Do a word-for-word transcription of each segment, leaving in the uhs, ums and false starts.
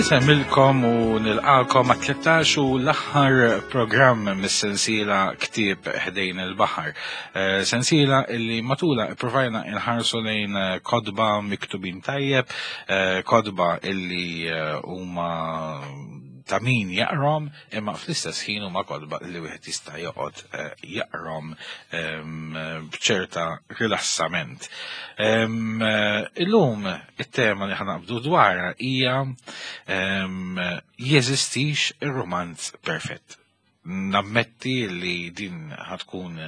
Insemmilkom u nilqakom ma' tlettax u l-aħħar programm mis-sensiela Ktieb Ħdejn il-Baħar. Eh, sensiela illi matula provajna inħarsu lejn eh, kodba miktubin tajjeb, eh, kodba illi huma ta' min jaqrom, imma fl-istess ħin huma kodba li wieħed jista' joqgħod eh, jaqrom ehm, b'ċerta rilassament. Ehm, illum it-tema li ħanaqbdu dwarha hija ehm, jeżistix ir-romanz perfett. Nammetti li din ħatkun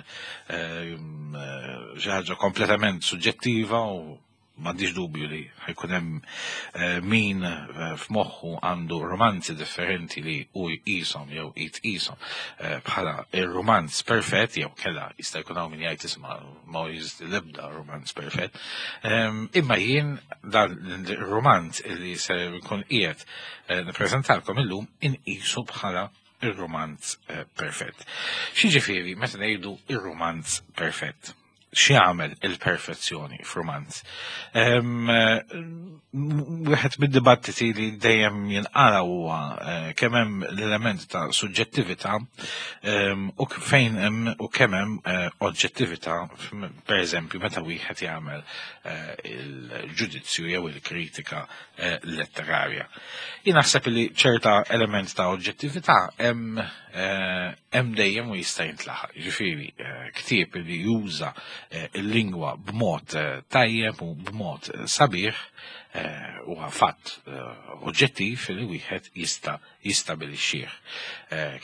xi ħaġa kompletament suġġettiva u m'għandix dubju li ħajkun hemm eh, min eh, f'moħħu għandu romanzi differenti li u jqishom jew jitqishom eh, bħala ir-romanz perfett, jew kella jista' jkun hawn min jgħid, "Isma', ma jeżisti l-ebda romanz perfett." Ehm, imma jien dan ir-romanz li se jkun qiegħed nippreżentalkom illum inqisu bħala ir-romanz perfett. X'jiġifieri meta ngħidu ir-romanz perfett? X'jagħmel il-perfezzjoni f'romanz? Wieħed mid-dibattiti li dejjem jinqala huwa eh, kemm hemm l-element ta' suġġettività u fejn hemm u kemm hemm eh, oġġettività, pereżempju meta wieħed jagħmel eh, il-ġudizzju jew il-kritika letterarja. Jien naħseb li ċerta element ta' oġġettività hemm hemm dejjem u jista' jintlaħaq. Ġifieri ktieb li juża il-lingwa b'mod tajjeb u b'mod sabiħ huwa fatt oġġettiv li wieħed jista' jistabilixxih.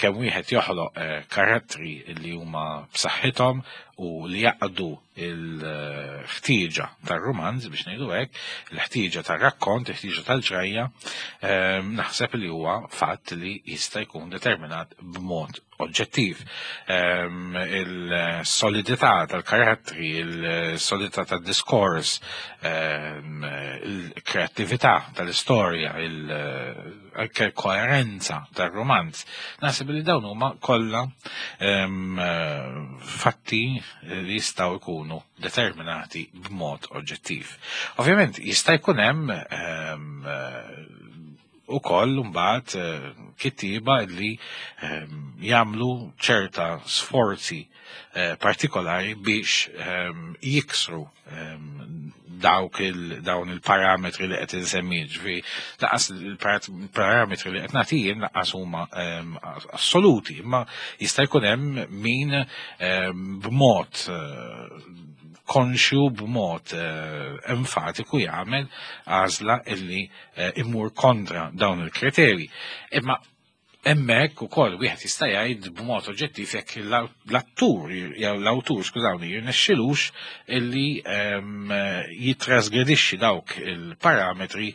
Kemm wieħed joħloq karattri li huma b'saħħithom u li jaqdu il-ħtieġa tar-romanz, biex ngħidu hekk, il-ħtieġa tar-rakkont, il-ħtieġa tal-ġrajja, naħseb li huwa fatt li jista' jkun determinat b'mod oġġettiv. Il-solidità tal-karattri, il-solidità tad-diskors, il-kreattività tal-istorja, il-koerenza tar-romanz. Naħseb li dawn huma kollha fatti li jistgħu jkunu determinati b'mod oġġettiv. Ovvjament jista' jkun hemm ukoll mbagħad kittieba li jagħmlu ċerta sforzi partikolari biex jiksru dawk il dawn il-parametri li qed insemmi. Ġifieri lanqas il-parametri li qed nagħti jien lanqas huma assoluti, imma jista' jkun hemm min b'mod konxju, b'mod enfatiku jagħmel għażla illi immur kontra dawn il-kriterji. Imma hemmhekk ukoll wieħed jista' jgħid b'mod oġġettiv jekk l-attur jew l-awtur, skużawni, jirnexxilux illi jitrasgredixxi dawk il-parametri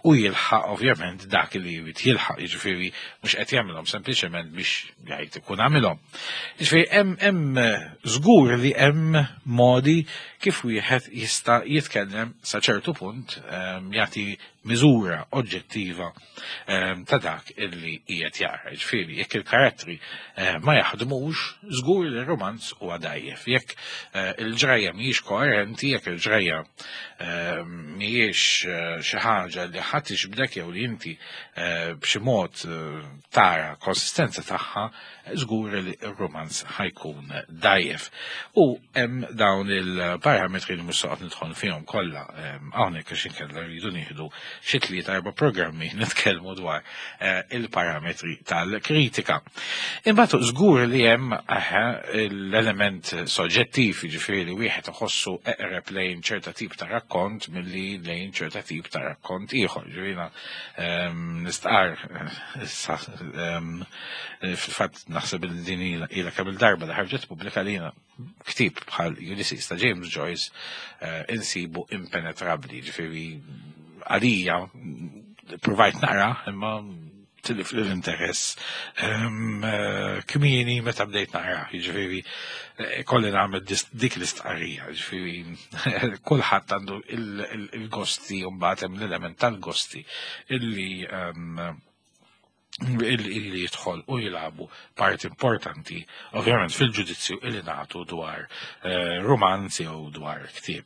u jilħaq ovvjament dak li jrid jilħaq, jiġifieri mhux qed jagħmilhom sempliċement biex jgħid ikun għamilhom. Jiġifieri hemm hemm żgur li hemm modi kif wieħed jista' jitkellem sa ċertu punt, jagħti miżura oġġettiva ta' dak illi qiegħed jaqra. Ġifieri jekk il-karattri ma jaħdmux, żgur li r-romanz huwa dgħajjef. Jekk il-ġrajja mhijiex koerenti, jekk il-ġrajja mhijiex xi ħaġa li ħadd tixbdek jew li inti b'xi mod tara konsistenza tagħha, żgur li r-romanz ħajkun dgħajjef. U hemm dawn il-parametri li mhux soqgħod nidħol fihom kollha hawnhekk, għax inkella rridu nieħdu xi tlieta erba' programmi nitkellmu dwar il-parametri tal-kritika. Imbagħad żgur li hemm l-element soġġettiv, jiġifieri li wieħed iħossu eqreb lejn ċerta tip ta' rakkont milli lejn ċerta tip ta' rakkont ieħor. Ġifieri nistqar issa, fil-fatt naħseb li din ilha kemm il-darba li ħarġet pubblika, li jiena ktieb bħal Ulysses ta' James Joyce insibu impenetrabbli, ġifieri għalija provajt naqra imma tilif l-interess kmieni meta bdejt naqra, jiġifieri kolli nagħmel dik l-istqarrija, jiġifieri kulħadd għandu il-gosti u mbagħad hemm l-element tal-gosti illi Illi jidħol u jilagħbu parti importanti ovvjament fil-ġudizzju illi nagħtu dwar eh, romanzi jew dwar ktieb.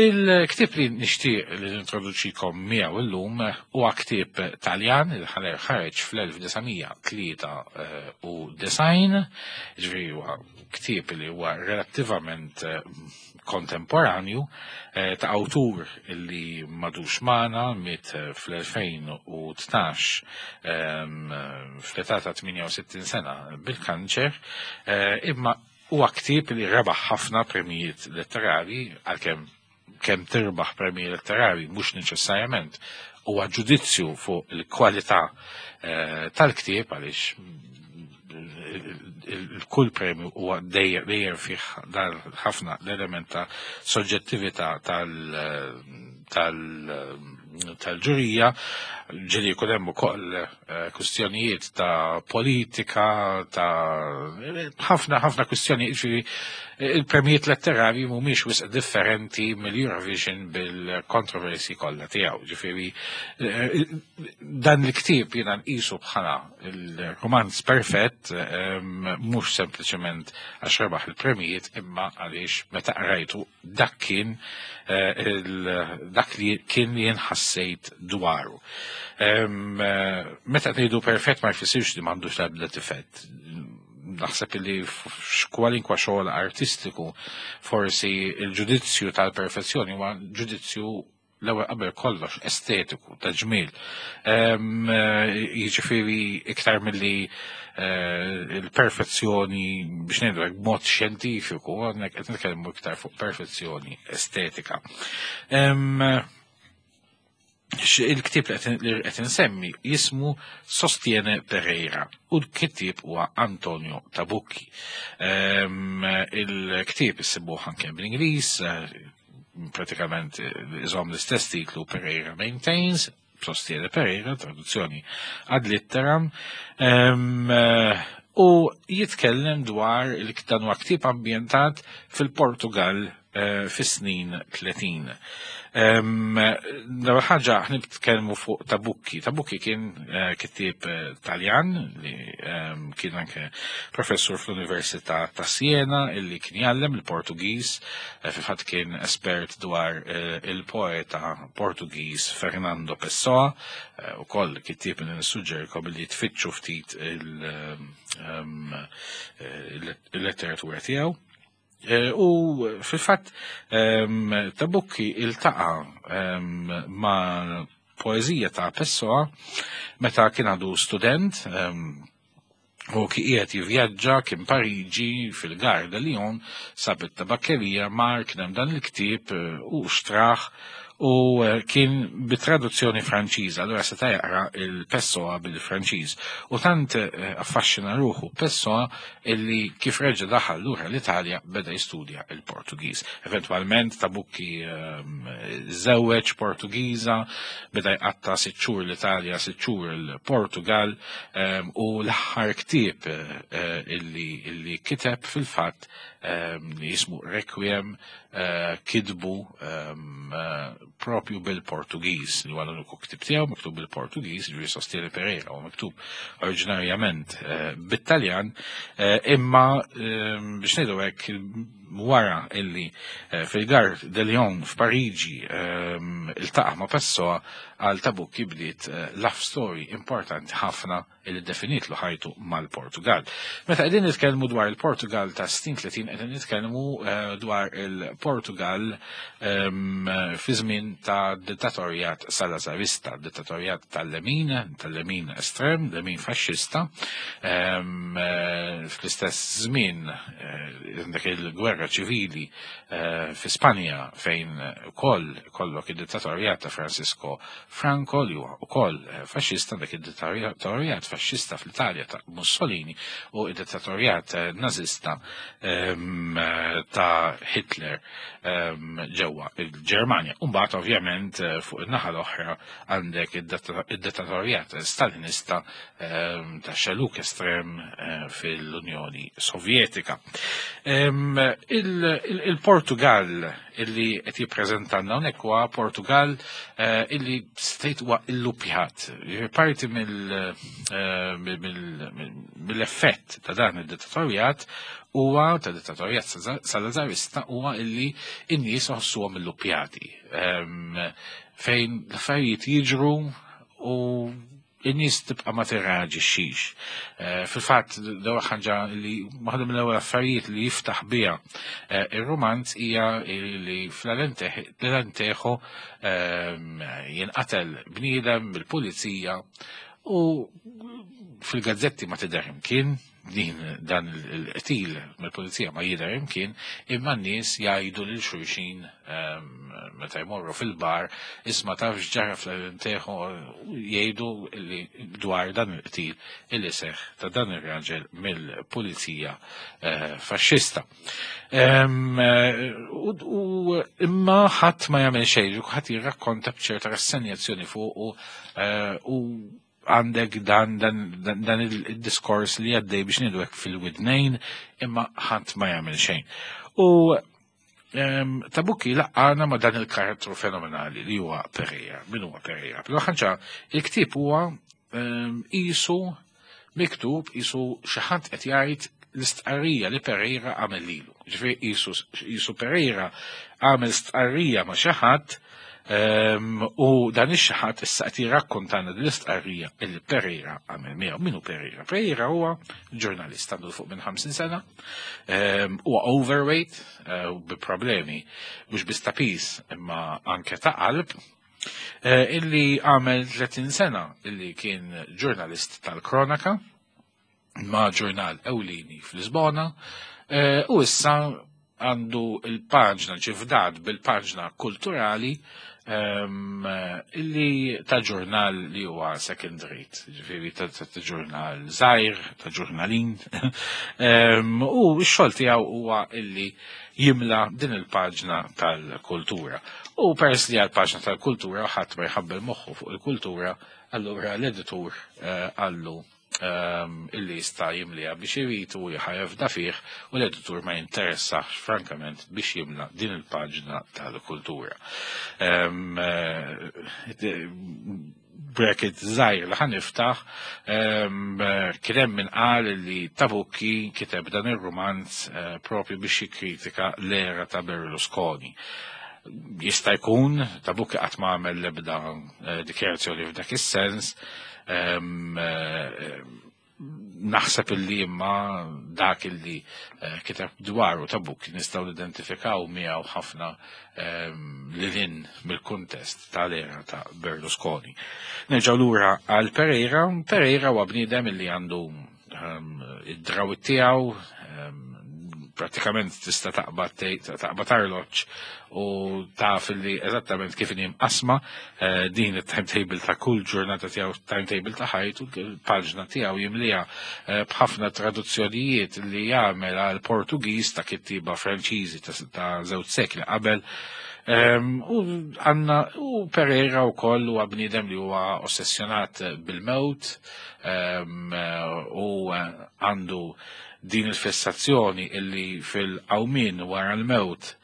Il-ktieb li nixtieq li nintroduċikom miegħu illum huwa ktieb Taljan li ħareġ fl-elf disa' mija tlieta u disgħin, ġifieri huwa ktieb li huwa relattivament eh, kontemporanju eh, ta' awtur illi m'għadux magħna, miet fl-elfejn u tnax fl-età ta' tmienja u sittin sena bil-kanċer, eh, imma huwa ktieb li rebaħ ħafna premijiet letterari, għalkemm kemm tirbaħ premji letterari mhux neċessarjament huwa ġudizzju fuq il-kwalità eh, tal-ktieb, għaliex il-kull premju huwa dejjem fih ħafna l-element ta' soġġettività tal-ġurija, ġieli jkun hemm ukoll eh, kwistjonijiet ta' politika, ta' ħafna ħafna kwistjonijiet, ġifieri il-premijiet letterari mhumiex wisq differenti mill-Eurovision bil-kontroversi kollha tiegħu. Ġifieri eh, dan il-ktieb jiena nqisu bħala il-romanz perfett, mhux sempliċement għax rebaħ il-premijiet, imma għaliex meta qrajtu dak kien eh, dak li kien jien ħassejt dwaru. Eh, meta ngħidu perfett ma jfissirx li m'għandux l-ebda difett. Naħseb li f'kwalinkwa xogħol artistiku forsi il-ġudizzju tal-perfezzjoni huwa ġudizzju l-ewwel qabel kollox estetiku, ta' ġmiel. Jiġifieri iktar milli eh, il-perfezzjoni biex ngħidu hekk b'mod xjentifiku, għandek qed nitkellmu iktar fuq perfezzjoni estetika. Il-ktieb li qed insemmi jismu Sostiene Pereira u l-kittieb huwa Antonio Tabucchi. Il-ktieb issibuh anke bl-Ingliż, pratikament iżomm l-istess titlu, Pereira Maintains, Sostiene Pereira, traduzzjoni ad litteram, u jitkellem dwar il-dan huwa ktieb ambjentat fil-Portugal eh, fis-snin tletin. L-ewwel ħaġa, nitkellmu fuq Tabucchi. Tabucchi kien eh, kittieb eh, Taljan li kien anke professur fl-Università ta' Siena illi kien jgħallem il-Portugiż, fil-fatt kien espert dwar il-poeta Portugiż Fernando Pessoa, ukoll kittieb li nissuġġerikom li tfittxu ftit il-letteratura tiegħu. Eh, u fil-fatt Tabucchi iltaqa ma' poezija ta' Pessoa meta kien għadu student u kien qiegħed jivvjaġġa, kien Pariġi fil-Gare de Lyon, sab it-tabakkerija, mar, kien hemm dan il-ktieb eh, u xtrah u eh, kien bit-traduzzjoni Franċiża, allura seta' jaqra il-Pessoa bil-Franċiż. U tant eh, affaxxina ruħu Pessoa illi kif reġa' daħal lura l-Italja beda jistudja il-Portugiż. Eventwalment Tabucchi ehm, żewweġ Portugiża, beda jqatta' sitt xhur l-Italja, sitt xhur il-Portugal ehm, u l-aħħar ktieb eh, illi, illi kiteb fil-fatt ehm, li jismu Requiem kitbu propju bil-Portugiż, li huwa l-uniku ktib tiegħu miktub bil-Portugiż, ġifieri Sostiene Pereira u miktub oriġinarjament eh, bit-Taljan, eh, imma eh, biex ngħidu hekk, wara illi fil-Gare de Lyon f'Pariġi iltaqa' ma' Pessoa, għal Tabucchi bdiet love story importanti ħafna illi definitlu ħajtu mal-Portugal. Meta qegħdin nitkellmu dwar il-Portugal ta' snin tletin, qegħdin nitkellmu dwar il-Portugal fi żmien ta' dittatorjat salazarista, dittatorjat tal-lemin, tal-lemin estrem, lemin faxxista. Fl-istess żmien għandek il-gwerra ċivili fi Spanja fejn ukoll kollok id-dittatorjat ta' Francisco Franco li huwa ukoll faxxista, dak id-dittatorjat faxxista fl-Italja ta' Mussolini u id-dittatorjat nazista ta' Hitler ġewwa il-Ġermanja. Umbagħad ovvjament fuq in-naħa l-oħra għandek id-dittatorjat stalinista ta' xellug estrem fil-Unjoni Sovjetika. Il-Portugal illi qed jippreżentanna hawnhekk huwa Portugal eh, illi state huwa illupjat. Parti mill-effett ta' dan id-dittatorjat huwa ta' dittatorjat salazarista huwa illi n-nies iħossuhom illupjati. Fejn l-affarijiet jiġru u in-nies tibqa' ma tirreaġixxix. Fil-fatt daw ħaġa li waħda mill-ewwel affarijiet li jiftaħ biha ir-rumanz hija li fl-Alentejo jinqatel bniedem mill-pulizija u fil-gazzetti ma tidher imkien, din dan il-qtil mill-pulizija ma jidher imkien, imma n-nies jgħidu lil xulxin meta jmorru fil-bar, isma' taf x'ġara fl-Alentejo, jgħidu li dwar dan il-qtil illi seħħ ta' dan ir-raġel mill-pulizija faxxista. U imma ħadd ma jagħmel xejn, ħadd jirrakkonta b'ċerta rassenjazzjoni fuq u għandek dan, dan, dan, dan il-diskors li għaddej biex ngħidu hekk fil-widnejn, imma ħadd ma jagħmel xejn. U Tabucchi laqqagħna ma' dan il-karattru fenomenali li huwa Pereira. Min huwa Pereira? Però ħanġa, il-ktieb huwa isu miktub, isu xi ħadd qed jgħid l-istqarrija li Pereira għamel lilu. Ġifieri isu, isu Pereira għamel stqarrija ma' xi ħadd, u dan ix-xi ħadd issa qed jirrakkontana l-istqarrija li Pereira għamel miegħu. Min hu Pereira? Pereira huwa ġurnalist għandu fuq minn ħamsin sena, huwa overweight, u bi problemi mhux biss ta' piż imma anke ta' qalb, illi għamel tletin sena illi kien ġurnalist tal-Kronaka, ma' ġurnal ewlieni f'Lisbona, u issa għandu il-paġna ġifdad bil-paġna kulturali illi ta' ġurnal li huwa second rate, ġifieri ta' ġurnal żgħir, ta' ġurnalin. U x-xogħol tiegħu huwa illi jimla din il-paġna tal-kultura. U peress li għal-paġna tal-kultura ħadd ma jħabbel moħħu fuq il-kultura, allura l-editur qallu illi jista' jimliha biex irid u jħajjef fih, u l-editur ma jinteressax frankament biex jimla din il-paġna tal-kultura. Bracket żgħir li ħaniftaħ, kien hemm min qal li Tabucchi kiteb dan ir-rumanz propju biex jikkritika l-era ta' Berlusconi. Jista' jkun, Tabucchi qatt ma għamel l-ebda dikjarazzjoni f'dak is-sens, naħseb illi imma dak illi kiteb dwaru Tabucchi nistgħu nidentifikaw miegħu ħafna lil mill-kuntest tal-era ta' Berlusconi. Nerġgħu lura għal Pereira. Pereira huwa bniedem illi għandu id-drawit tiegħu, pratikament tista' taqbad taqbad arloġġ u taf li eżattament kif inhi mqasma din it-timetable ta' kull ġurnata tiegħu, timetable ta' ħajtu, il-paġna tiegħu jimliha b'ħafna traduzzjonijiet li jagħmel għal Portugiż ta' kittieba Franċiżi ta' żewġ sekli qabel. U għanna u Pereira wkoll huwa bniedem li huwa ossessjonat bil-mewt, u għandu din il-fissazzjoni illi fil-qawmien wara l-mewt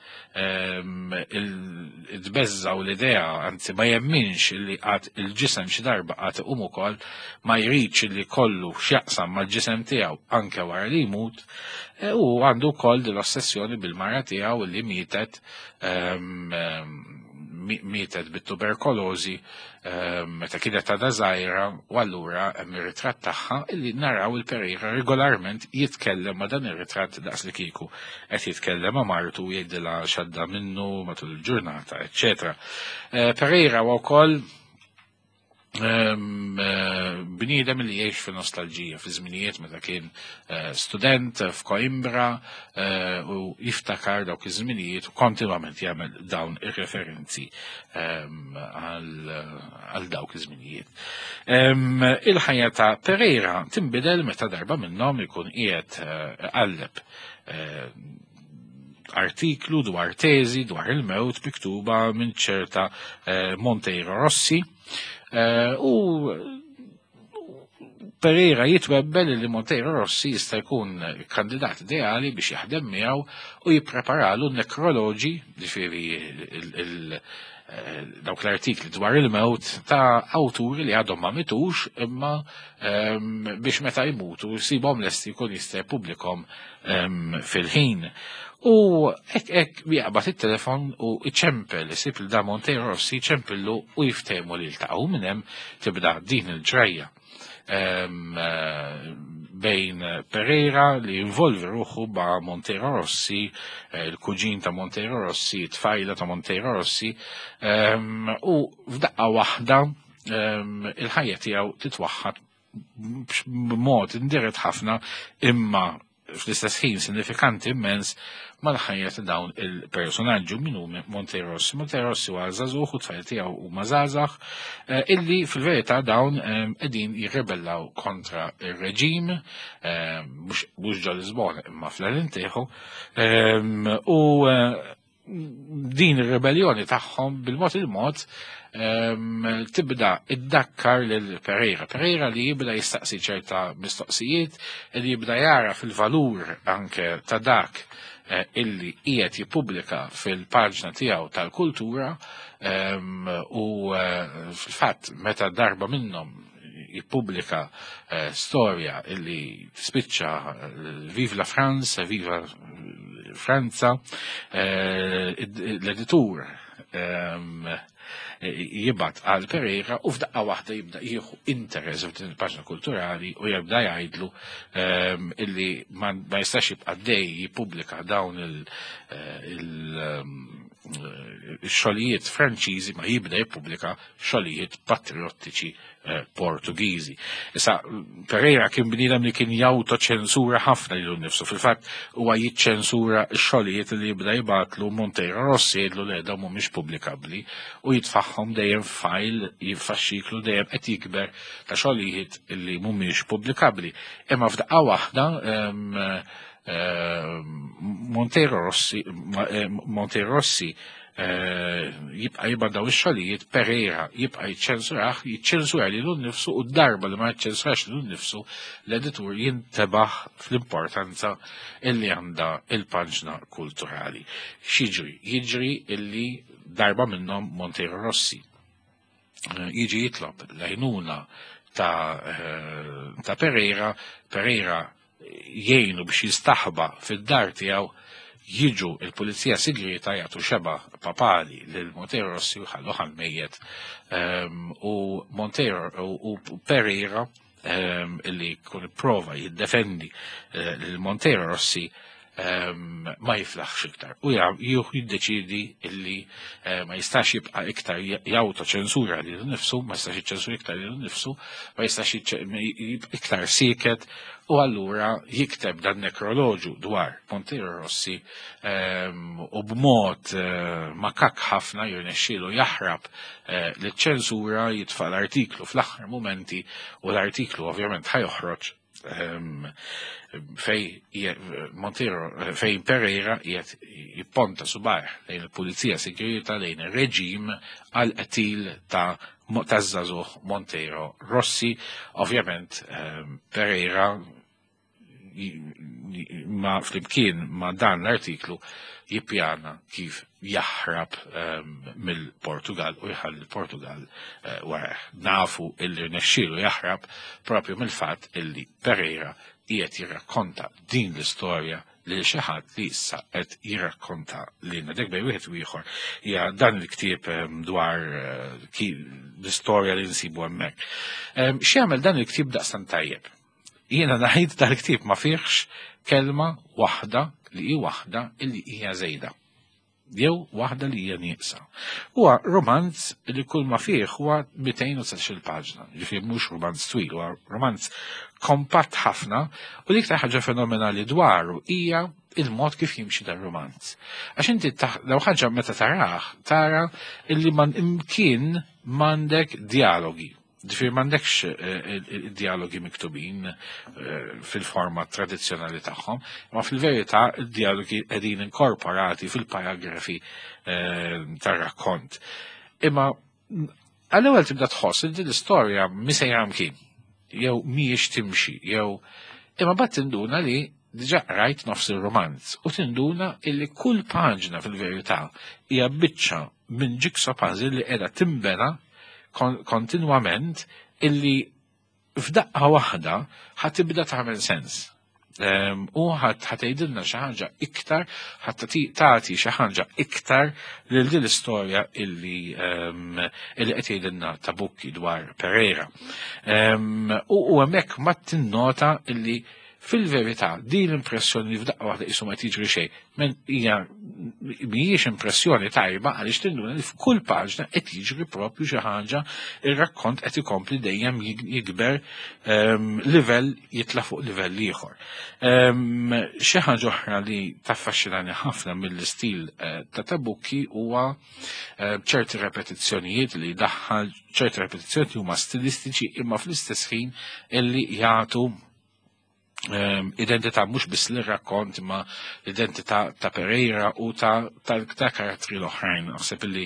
il-tbeżza u l-idea, anzi ma jemminx illi għad il-ġisem xi darba għad iqum ukoll, ma jridx illi kollu x'jaqsam mal-ġisem tiegħu anke wara li jmut, u għandu wkoll din l-ossessjoni bil-mara tiegħu illi mietet mietet bit-tuberkolożi meta kienet għadha żgħira, u allura hemm ir-ritratt tagħha illi naraw il-Pereira regolarment jitkellem ma' dan ir-ritratt daqs li kieku qed jitkellem ma' martu u jgħidilha x'għadda minnu matul il-ġurnata, eċċetera. Pereira huwa wkoll bniedem li jgħix fi nostalġija fi żminijiet meta kien student f'Coimbra u jiftakar dawk iż-żminijiet u kontinwament jagħmel dawn ir-referenzi għal dawk iż-żminijiet. Il-ħajja ta' Pereira tinbidel meta darba minnhom ikun qiegħed qalleb artiklu dwar teżi dwar il-mewt miktuba minn ċerta Monteiro Rossi. U Pereira jitwebbel li Monteiro Rossi jista' jkun kandidat ideali biex jaħdem miegħu u jippreparalu nekroloġi, ġifieri dawk l-artikli dwar il-mewt ta' awturi li għadhom ma mitux, imma biex meta jmutu jsibhom lesti jkun jista' jippubblikhom fil-ħin. U hekk hekk jaqbad it-telefon u iċempel, isib lil da Monteiro Rossi, iċempillu u jiftehmu li jiltaqgħu. Minn hemm tibda din il-ġrajja bejn Pereira li involvi ruħu ba' Monteiro Rossi, il-kuġin ta' Monteiro Rossi, tfajla ta' Monteiro Rossi, u f'daqqa waħda il-ħajja tiegħu titwaħħad b'mod indirett ħafna imma fl-istess ħin sinifikanti immens mal-ħajja ta' dawn il-personaġġi. Min hu Monteiro Rossi? Monteiro Rossi huwa żagħżugħ u tfajl tiegħu huma żgħażagħ illi fil-verità dawn qegħdin jirrebellaw kontra ir-reġim, mhux ġo Lisbona imma fl-Alentejo, u din ir-rebellioni tagħhom bil-mod il-mod tibda iddakkar lil Pereira. Pereira li jibda jistaqsi ċerta mistoqsijiet, li jibda jara fil-valur anke ta' dak illi qiegħed jippubblika fil-paġna tiegħu tal-kultura, u fil-fatt meta darba minnhom jippubblika storja illi tispiċċa "Vive la France, viva Franza", l-editur jibgħat għal Pereira u f'daqqa waħda jibda jieħu interess f'din il-paġna kulturali u jibda jgħidlu illi ma jistax jibqa' dej jippubblika dawn il-xogħlijiet Franċiżi ma jibda jippubblika xogħlijiet patriottiċi Portugiżi. Issa, Pereira kien bniedem li kien jawtoċensura ħafna lilu nnifsu. Fil-fatt huwa jiċċensura x-xogħlijiet li jibda jibgħatlu Monteiro Rossi, jgħidlu le, dawn mhumiex pubblikabbli, u jitfaħħom dejjem fajl, jiffaxxiklu dejjem qed jikber ta' xogħlijiet li mhumiex pubblikabbli. Imma f'daqqa waħda Monteiro Rossi Monteiro Rossi jibqa' jibgħat daw ix-xogħlijiet, Pereira jibqa' jiċċensurah, jiċċensura lilu nnifsu, u d-darba li ma jiċċensurax lilu nnifsu l-editur jintebaħ fl-importanza illi għandha il-paġna kulturali. X'jiġri? Jiġri illi darba minnhom Monteiro Rossi jiġi jitlob l-għajnuna ta' ta' Pereira, Pereira jgħinu biex jistaħba fid-dar tiegħu, jiġu il-pulizija segreta jagħtu xeba papali lil Monteiro Rossi u ħallu mejjet, u Monteiro u Pereira illi kun prova jiddefendi lil Monteiro Rossi ma jiflaħx iktar u jiddeċidi illi ma jistax jibqa' iktar jawtoċensura lilu nnifsu, ma jistax jiċċensura iktar lilu nnifsu, ma jistax jibqa' iktar sieket, u allura jikteb dan nekroloġu dwar Monteiro Rossi, u b'mod makak ħafna jirnexxielu jaħrab liċ-ċensura, jitfa' l-artiklu fl-aħħar momenti, u l-artiklu ovvjament ħajoħroġ fej Monteiro, fej Pereira qiegħed jipponta subajh lejn il-pulizija segreta, lejn ir-reġim għal qtil ta' taż-żagħżugħ Monteiro Rossi. Ovvjament Pereira ma flimkien ma dan l-artiklu jippjana kif jaħrab mill-Portugal u jħalli l-Portugal warah. Nafu illi rnexxielu jaħrab propju mill-fatt illi Pereira qiegħed jirrakkonta din l-istorja lil xi ħadd li issa qed jirrakkonta lilna. Dek bejn wieħed u ieħor hija dan il-ktieb dwar l-istorja li nsibu hemmhekk. X'jagħmel dan il-ktieb daqstan tajjeb? Jiena ngħid dal-ktieb ma fihx kelma waħda li hi waħda illi hija żejda, jew waħda li hija nieqsa. Huwa romanz li kull ma fih huwa mitejn u dsatax-il paġna, ġifieri mhux romanz twil, huwa romanz kompatt ħafna, u l-iktar ħaġa fenomenali dwaru hija il-mod kif jimxi dan romanz. Għax inti law ħaġa meta tarah, tara illi man imkien m'għandek dialogi. Ġifieri m'għandekx dialogi miktubin fil-forma tradizzjonali tagħhom, ma fil-verità id-dialogi qegħdin inkorporati fil-paragrafi tar-rakkont. Imma għall-ewwel tibda tħoss li din l-istorja misejra mkien. jew mhijiex timxi, jew imma mbagħad tinduna li diġà rajt nofs il-romanz u tinduna illi kull paġna fil-verità hija biċċa minn jigsaw puzzle li qiegħda timbena kontinwament illi f'daqqa waħda ħa tibda tagħmel sens. U ħa tgħidilna xi ħaġa iktar, ħa tagħti xi ħaġa iktar lil din l-istorja illi illi qed jgħidilna Tabucchi dwar Pereira. U hemmhekk ma tinnota illi fil-verità din l-impressjoni li f'daqqa waħda qisu ma tiġri xejn, men hija mhijiex impressjoni tajba għaliex tinduna li f'kull paġna qed jiġri propju xi ħaġa, ir-rakkont qed ikompli dejjem jikber livell jitla' fuq livell ieħor. Xi ħaġa oħra li taffaxxinani ħafna mill-istil eh, ta' Tabucchi huwa eh, ċerti repetizzjonijiet li daħħal, ċerti repetizzjonijiet li huma stilistiċi imma fl-istess ħin illi jagħtu Ehm, identità mhux biss l-rakkont imma l-identità ta' Pereira u ta' ta' karattri l-oħrajn. Naħseb illi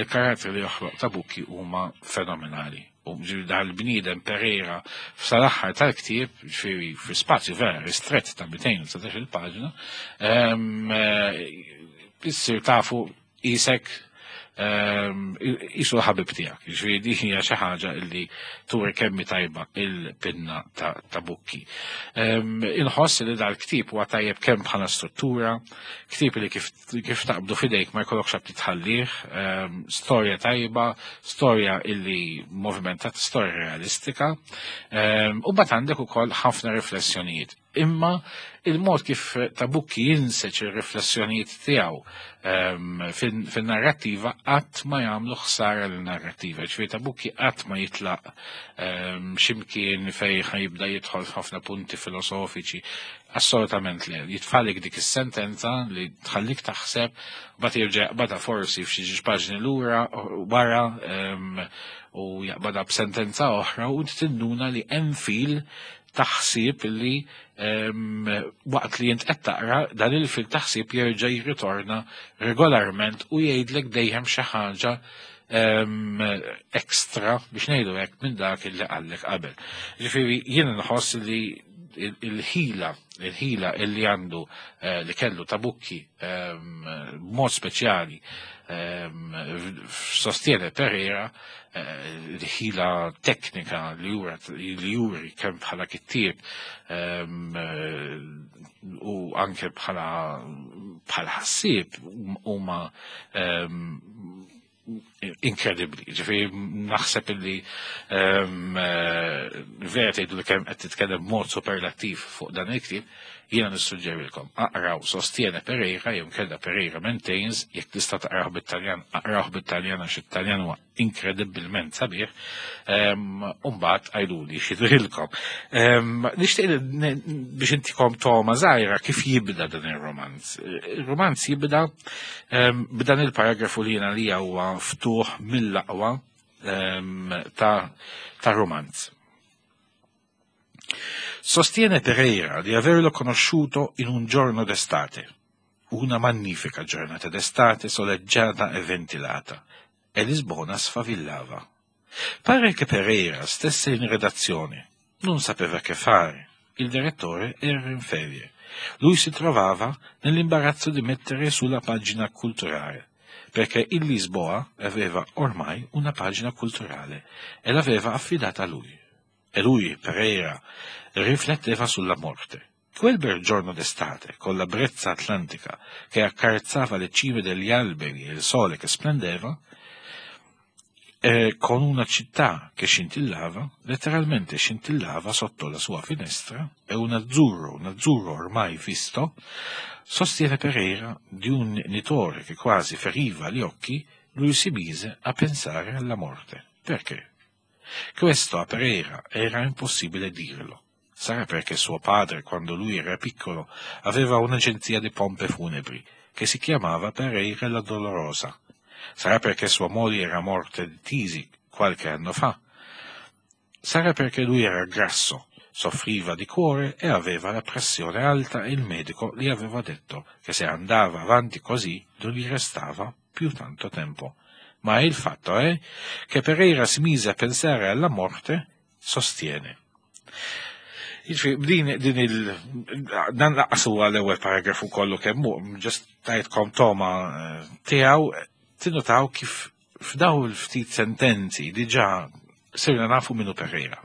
il-karattri li joħloq Tabucchi huma fenomenali. U ġifieri dal-bniedem Pereira f'sal-aħħar tal-ktieb, ġifieri fi spazju vera ristrett ta' mitejn u dsatax-il paġna, ehm, eh, issir tafu isek qisu l-ħabib tiegħek. Ġifieri din hija xi ħaġa illi turi kemm tajba il-pinna ta' Tabucchi. Inħoss li dal-ktieb huwa tajjeb kemm bħala struttura, ktieb li kif, kif taqbdu fidejk ma jkollokx aptit tħallih, storja tajba, storja illi movimentat, storja realistika, u mbagħad għandek ukoll ħafna riflessjonijiet. Imma il-mod kif Tabucchi jinseċ ir-riflessjonijiet tiegħu fin-narrattiva qatt ma jagħmlu ħsara l-narrattiva. Ġifieri Tabucchi qatt ma jitlaq x'imkien fejn ħa jibda jidħol f'ħafna punti filosofiċi. Assolutament le. Jitfagħlek dik is-sentenza li tħallik taħseb, mbagħad jerġa' jaqbadha forsi f'xi ġiex paġni lura wara u jaqbadha b'sentenza oħra u tinduna li hemm fil taħsib li waqt li jint qed taqra dan il-fil taħsib jerġa' jirritorna regolarment u jgħidlek dejjem xi ħaġa ekstra biex ngħidu hekk minn dak illi qallek qabel. Ġifieri jien nħoss li il-ħila, il-ħila illi għandu eh, li kellu Tabucchi b'mod speċjali sostiene Pereira, eh, il-ħila teknika li jura li juri kemm bħala kittieb eh, u anke bħala bħala ħassieb huma inkredibli. Ġifieri naħseb illi vera tgħidu li kemm qed titkellem mod superlattiv fuq dan il-ktieb, jiena nissuġġerilkom. Aqraw Sostiene Pereira jew kella Pereira Maintains, jekk tista' taqraw bit-Taljan, aqraw bit-Taljan għax it-Taljan huwa inkredibilment sabiħ, u mbagħad għiduli x'jidhrilkom. Nixtieq biex intikom togħma żgħira kif jibda dan ir-romanz. Il-romanz jibda b'dan il-paragrafu li jiena li huwa ftuħ mill-aqwa ta' ta' romanz. Sostiene Pereira di averlo conosciuto in un giorno d'estate, una magnifica giornata d'estate soleggiata e ventilata, e Lisbona sfavillava. Pare che Pereira stesse in redazione, non sapeva che fare. Il direttore era in ferie. Lui si trovava nell'imbarazzo di mettere sulla pagina culturale, perché il Lisboa aveva ormai una pagina culturale e l'aveva affidata a lui. E lui, Pereira, rifletteva sulla morte. Quel bel giorno d'estate, con la brezza atlantica che accarezzava le cime degli alberi e il sole che splendeva, e con una città che scintillava, letteralmente scintillava sotto la sua finestra, e un azzurro, un azzurro ormai visto, sostiene Pereira, di un nitore che quasi feriva gli occhi, lui si mise a pensare alla morte. Perché? Questo a Pereira era impossibile dirlo. Sarà perché suo padre, quando lui era piccolo, aveva un'agenzia di pompe funebri, che si chiamava Pereira la Dolorosa. Sarà perché sua moglie era morta di tisi qualche anno fa. Sarà perché lui era grasso, soffriva di cuore e aveva la pressione alta e il medico gli aveva detto che se andava avanti così non gli restava più tanto tempo. Ma il fatto è che Pereira si mise a pensare alla morte, sostiene. Jiġifieri din din il dan lanqas huwa l-ewwel paragrafu kollu kemm hu, just tajtkom togħma eh, tiegħu. Tinnutaw kif f'daw il-ftit sentenzi diġà sirna nafu min hu Pereira.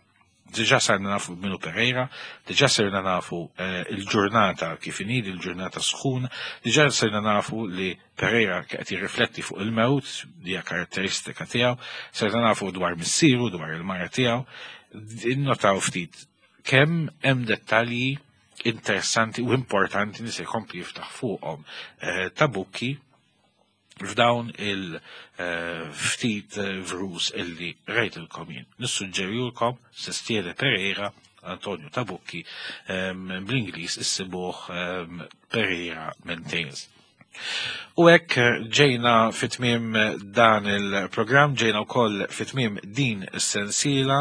Diġà sirna nafu min hu Pereira, diġà sirna nafu eh, il-ġurnata kif inhi, il-ġurnata sħun, diġà sirna nafu li Pereira qed jirrifletti fuq il-mewt, li hija karatteristika tiegħu, sirna nafu dwar missieru, dwar il-mara tiegħu. Innotaw ftit kemm hemm dettalji interessanti u importanti li se jkompli jiftaħ fuqhom eh, Tabucchi f'dawn il-ftit vrus illi rajtilkom jien. Nissuġġerijulkom Sestiere Pereira, Antonio Tabucchi, bl-Ingliż issibuh Pereira Maintains. U hekk ġejna fi tmiem dan il-programm, ġejna wkoll fi tmiem din is-sensiela,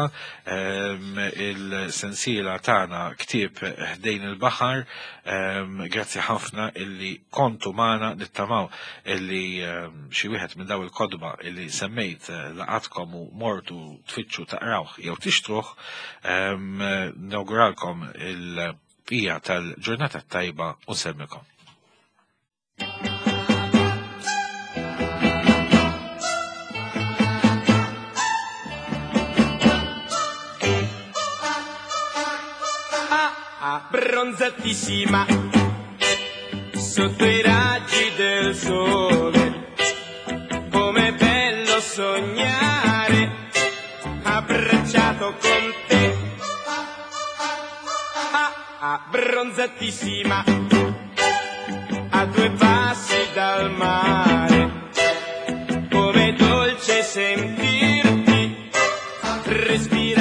il-sensiela tagħna Ktieb Ħdejn il-Baħar. Grazzi ħafna illi kontu magħna, nittamaw illi xi wieħed minn daw il-kotba illi semmejt laqatkom u mortu tfittxu taqrawh jew tixtruh. Nawguralkom il-bqija tal-ġurnata tajba u nsellmilkom. Abbronzatissima sotto i raggi del sole, com'è bello sognare abbracciato con te. Ah, abbronzatissima a due passi dal mare, com'è dolce sentirti respirare.